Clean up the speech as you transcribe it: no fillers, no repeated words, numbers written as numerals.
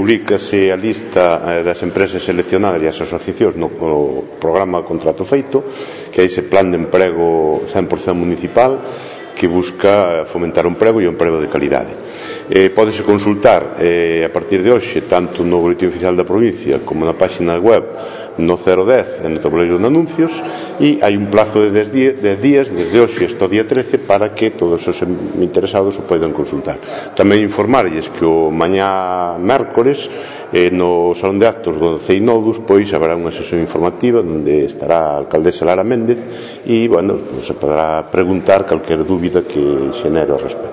Publícase a lista das empresas seleccionadas e as asociacións no programa Contrato Feito, que é ese plan de emprego 100% municipal que busca fomentar o emprego e o emprego de calidade. Pódese consultar a partir de hoxe tanto no boletín oficial da provincia como na página web no 010 e no tabuleiro de anuncios, e hai un plazo de 10 días desde hoxe hasta o día 13 para que todos os interesados o poidan consultar. Tamén informarlles que o mañá mércores no Salón de Actos do CEINODUS pois haberá unha sesión informativa onde estará a alcaldesa Lara Méndez e, bueno, se poderá preguntar calquer dúbida que xenere ao respecto.